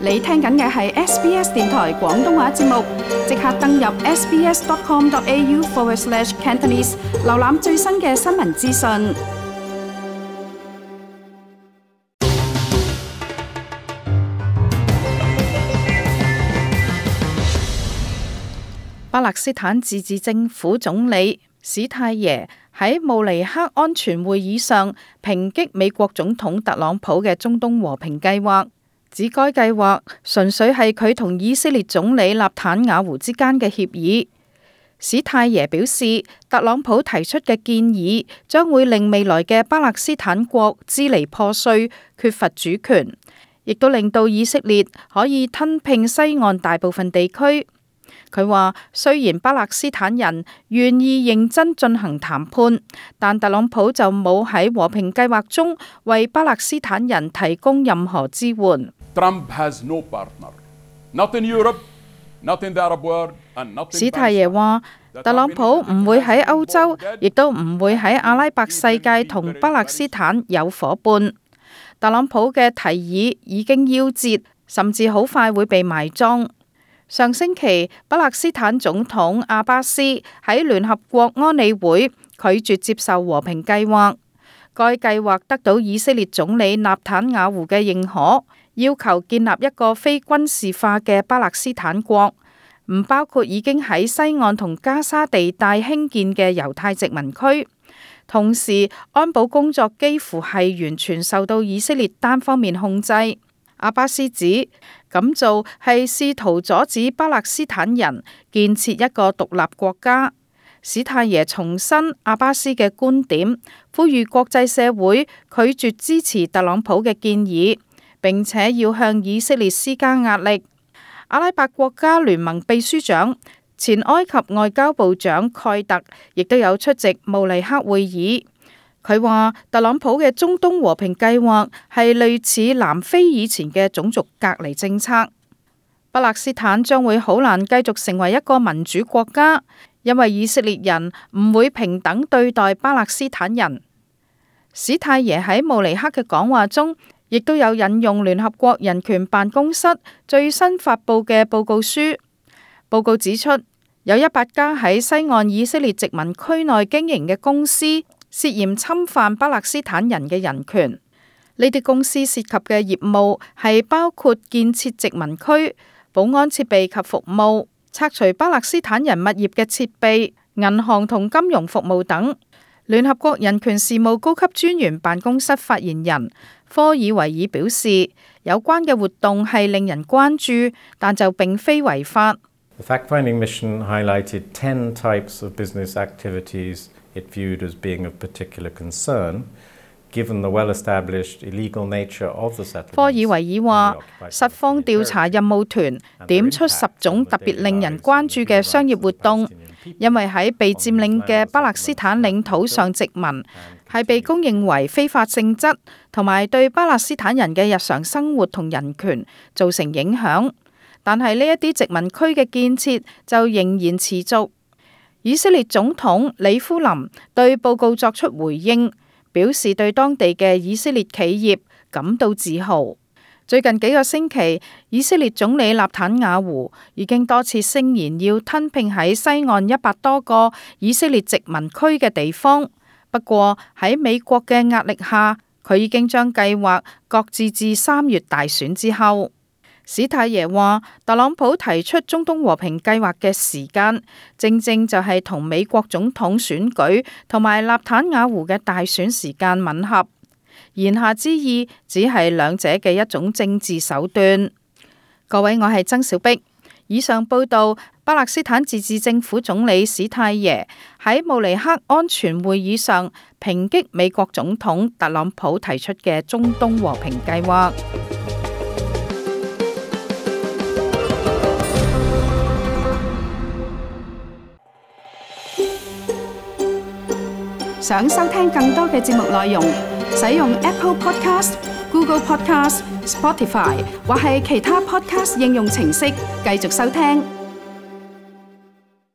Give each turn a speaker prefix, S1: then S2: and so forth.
S1: 你聽緊嘅係 SBS 電台廣東話節目，即刻登入 sbs.com.au/Cantonese， 瀏覽最新嘅新聞資訊。巴勒斯坦自治政府總理史泰耶喺慕尼黑安全會議上抨擊美國總統特朗普嘅中東和平計劃，指該計劃純粹係佢同以色列總理納坦雅胡之間嘅協議。史泰耶表示，特朗普提出嘅建議將會令未來嘅巴勒斯坦國支離破碎，缺乏主權，亦都令到以色列可以吞併西岸大部分地區。佢話，雖然巴勒斯坦人願意認真進行談判，但特朗普就冇喺和平計劃中為巴勒斯坦人提供任何支援。史泰耶話，特朗普唔會喺歐洲，亦都唔會喺阿拉伯世界同巴勒斯坦有夥伴。特朗普嘅提議已經夭折，甚至好快會被埋葬。上星期，巴勒斯坦總統阿巴斯喺聯合國安理會拒絕接受和平計劃。該計劃得到以色列總理納坦雅胡嘅認可，要求建立一個非軍事化嘅巴勒斯坦國，唔包括已經喺西岸同加沙地帶興建嘅猶太殖民區。同時，安保工作幾乎係完全受到以色列單方面控制。阿巴斯指咁做係試圖阻止巴勒斯坦人建設一個獨立國家。史泰耶重申阿巴斯嘅觀點，呼籲國際社會拒絕支持特朗普嘅建議，並且要向以色列施加壓力。阿拉伯國家聯盟秘書長、前埃及外交部長蓋特亦都有出席慕尼黑會議。佢話特朗普嘅中東和平計劃係類似南非以前嘅種族隔離政策。巴勒斯坦將會好難繼續成為一個民主國家，因為以色列人唔會平等對待巴勒斯坦人。史泰耶喺慕尼黑嘅講話中，亦都有引用聯合國人權辦公室最新發佈嘅報告書。報告指出，有100家喺西岸以色列殖民區內經營嘅公司涉嫌侵犯巴勒斯坦人嘅人權。呢啲公司涉及嘅業務係包括建設殖民區、保安設備及服務、拆除巴勒斯坦人物業嘅設備、銀行同金融服務等。聯合國人權事務高級專員辦公室發言人科爾維爾表示，有關嘅活動係令人關注，但就並非違法。
S2: The fact-finding mission highlighted 10 types of business activities it viewed as being of particular concern, given the well-established illegal nature of the settlements.
S1: 科爾維爾話，實況調查任務團點出10種特別令人關注嘅商業活動，因為喺被佔領嘅巴勒斯坦領土上殖民係被公認為非法性質，同埋對巴勒斯坦人嘅日常生活同人權造成影響。但係呢一啲殖民區嘅建設就仍然持續。以色列總統里夫林對報告作出回應，表示對當地嘅以色列企業感到自豪。最近幾個星期，以色列總理納坦雅胡已經多次聲言要吞併喺西岸100多個以色列殖民區嘅地方。不過喺美國嘅壓力下，佢已經將計劃擱置至3月大選之後。史泰耶話，特朗普提出中東和平計劃嘅時間，正正就係同美國總統選舉同埋納坦雅胡嘅大選時間吻合。言下之意，只係兩者嘅一種政治手段。各位，我係曾小碧。以上報道，巴勒斯坦自治政府總理史泰耶喺慕尼黑安全會議上抨擊美國總統特朗普提出嘅中東和平計劃。想收聽更多嘅節目內容，使用 Apple Podcast、Google Podcast、Spotify 或係其他 Podcast 應用程式繼續收聽。